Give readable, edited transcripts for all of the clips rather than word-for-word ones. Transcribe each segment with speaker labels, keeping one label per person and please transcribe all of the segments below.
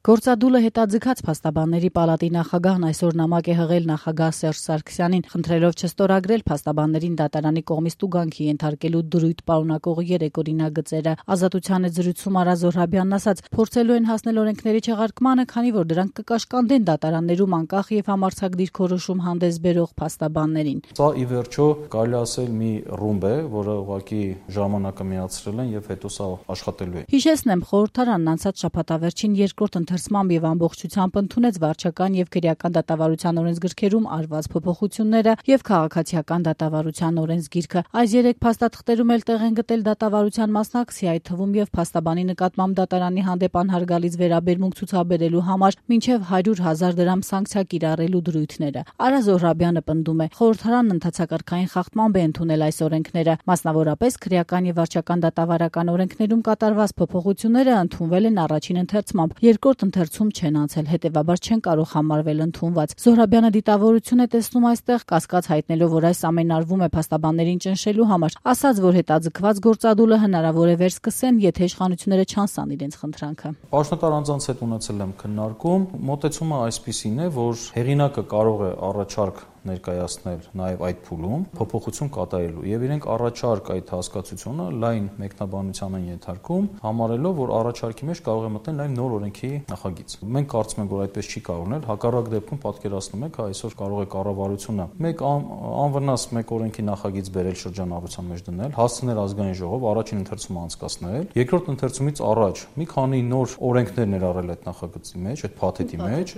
Speaker 1: Գործադուլը հետաձգած փաստաբանների պալատի նախագահն այսօր նամակ է հղել նախագահ Սերժ Սարգսյանին, խնդրելով չստորագրել փաստաբաններին դատարանի կողմից տուգանքի ենթարկելու դրույթ պարունակող 3 օրինագծերը։ Ազատության հետ զրույցում Արա Զոհրաբյանն ասաց, փորձելու են հասնել օրենքների չեղարկմանը, քանի որ դրանք կկաշկանդեն դատարաններում անկախ եւ համարձակ դիրքորոշում հանդես բերող փաստաբաններին։
Speaker 2: Սա ի վերջո կարելի ասել մի ռումբ է, որը ուղղակի ժամանակը միացրել են եւ հետո սա աշխատելու է։
Speaker 1: Հիշեցնեմ, խորհրդարանն անցած շաբաթավերջին երկրորդ ընթերցմամբ եւ ամբողջությամբ ընդունեց վարչական եւ քրեական դատավարության օրենսգրքերում արված փոփոխությունները եւ քաղաքացիական դատավարության օրենսգիրքը։ Այս 3 փաստաթղթերում էլ տեղ են գտել դատավարության մասնակցի, այդ թվում եւ փաստաբանի նկատմամբ դատարանի հանդեպ անհարգալից վերաբերմունք ցուցաբերելու համար մինչեւ 100,000 դրամ սանկցիա կիրառելու դրույթները։ Արա Զոհրաբյանը պնդում է, խորհրդարանն ընդհանցակարգային խախտմամբ է ընդունել այս օրենքները, մասնավորապես քրեական եւ վարչական դատավարական օրենքներում կատարված փոփոխությունները ընդունվել են առաջին ընթերցմամբ, երկրորդ ընթերցում չեն անցել, հետեւաբար չեն կարող համարվել ընդունված։ Զոհրաբյանը դիտավորություն է տեսնում այստեղ, կասկած հայտնելով, որ այս ամենն արվում է փաստաբաններին ճնշելու համար, ասաց, որ հետաձգված գործադուլը հնարավոր է վերսկսեն, եթե իշխանությունները չանցան իրենց խնդրանքը։
Speaker 2: Պաշտոնատար անձանց հետ ունեցել եմ քննարկում, մոտեցումը այսպիսին է, որ հեղինակը կարող է առաջարկ ներկայացնել նաև այդ փուլում փոփոխություն կատարելու եւ իրենք առաջարկ այդ հասկացությունը լայն մեկնաբանության են ենթարկում, համարելով, որ առաջարկի մեջ կարող է մտնել նաև նոր օրենքի նախագիծ։ Մենք կարծում ենք, որ այդպես չի կարող լինել, հակառակ դեպքում պատկերացնում եք, այսօր կարող է կառավարությունը մեկ անվնաս մեկ օրենքի նախագիծ բերել շրջանառության մեջ դնել, հասցնել ազգային ժողով, առաջին ընթերցումը անցկացնել, երկրորդ ընթերցումից առաջ մի քանի նոր օրենքներ ներառել այդ նախագծի մեջ, այդ փաթեթի մեջ,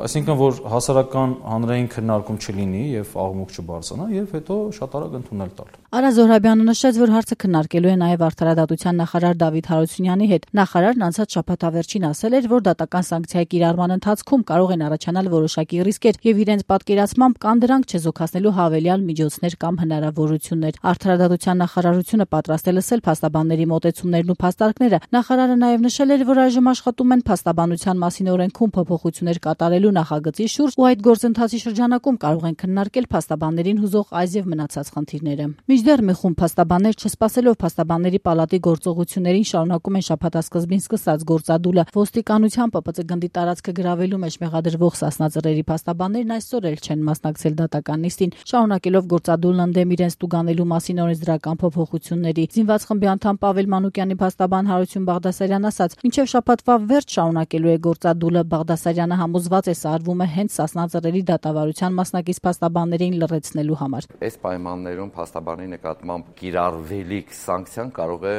Speaker 2: այսինքն որ հասարակական հանրային քննարկում չլինի եւ աղմուկ չբարձրանա եւ հետո շատ արագ ընդունել տալ։
Speaker 1: Արա Զոհրաբյանը նշեց, որ հարցը քննարկելու է նաև արդարադատության նախարար Դավիթ Հարությունյանի հետ։ Նախարարն անցած շաբաթավերջին ասել էր, որ դատական սանկցիայի կիրառման ընթացքում կարող են առաջանալ որոշակի ռիսկեր եւ իրենց պատկերացմամբ կան դրանք չեզոքացնելու հավելյալ միջոցներ կամ հնարավորություններ։ Արդարադատության նախարարությունը պատրաստ է լսել փաստաբանների մոտեցումներն ու փաստարկները։ Նախարարը նաև նշել էր, որ այժմ աշխատում են փաստաբանության մասին օրենքում փոփոխություններ կատարելու նախագծի շուրջ ու այդ գործընթացի շրջանակում կարող են քննարկել փաստաբաններին հուզող այս եւ մնացած խնդիրները։ Մինչդեռ մի խումբ փաստաբաններ չսպասելով փաստաբանների պալատի գործողություններին շարունակում են շաբաթասկզբին սկսած գործադուլը։ Ոստիկանության ՊՊԾ գնդի տարածքը գրավելու մեջ մեղադրվող Սասնա-Ծռերի փաստաբաններն այսօր էլ չեն մասնակցել դատական նիստին, շարունակելով գործադուլն ընդդեմ իրենց տուգանելու մասին օրենսդրական փոփոխությունների։ Զինված խմբի անդամ Պավել Մանուկյանի փաստաբան Հարություն Բաղդասարյան ասաց, մինչև շաբաթվա վերջ շարունակելու է գործադուլը։ Բաղդասարյանը համոզված է, սա արվում է հենց Սասնա-Ծռերի դատավարության մասնակից փաստաբաններին լրացնելու համար։
Speaker 3: Այս պայմաններում փաստաբանի նկատմամբ կիրառվելիք սանկցիան կարող է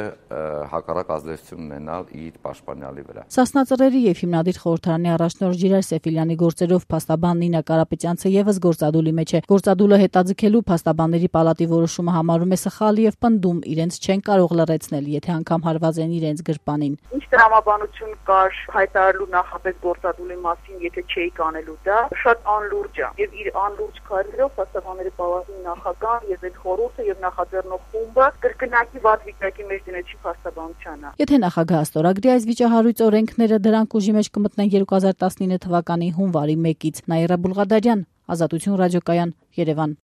Speaker 3: հակառակ ազդեցություն ունենալ իր պաշտպանյալի վրա։
Speaker 1: Սասնա-Ծռերի եւ հիմնադիր խորհրդարանի առաջնորդ Ժիրայր Սեֆիլյանի գործերով փաստաբան Նինա Կարապետյանցը եւս գործադուլի մեջ է։ Գործադուլը հետաձգելու փաստաբանների պալատի որոշումը համարում է սխալ եւ պնդում, իրենց չեն կարող լրացնել, եթե անգամ հարված են իրենց գրպանին։
Speaker 4: Ինչ տրամաբանություն կար հայտարարելու նախապես գործադուլի մասին, եթե չէի կանելու դա, շատ անլուրջ է եւ իր անլուրջ քայլերով փաստաբանների պալատի նախագահ եւ այդ խորհուրդը եւ նախաձեռնող խումբը կրկնակի վատ վիճակի մեջ դնեցի փաստաբանությանը։
Speaker 1: Եթե նախագահը ստորագրի այս վիճահարույց օրենքները, դրանք ուժի մեջ կմտնեն 2019 թվականի հունվարի 1-ից։ Նաիրա Բուլղադարյան, Ազատություն ռադիոկայան, Երևան։